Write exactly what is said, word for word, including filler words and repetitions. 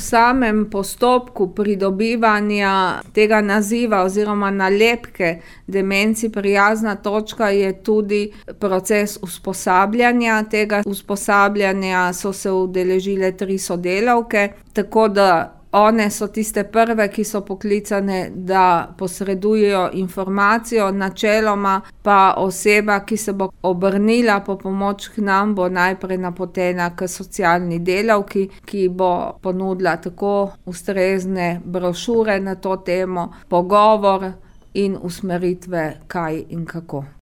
V samem postopku pridobivanja tega naziva oziroma nalepke Demenci prijazna točka je tudi proces usposabljanja. Tega usposabljanja so se udeležile tri sodelavke, tako da one so tiste prve, ki so poklicane, da posredujejo informacijo, načeloma pa oseba, ki se bo obrnila po pomoč k nam, bo najprej napotena k socialni delavki, ki bo ponudila tako ustrezne brošure na to temo, pogovor in usmeritve, kaj in kako.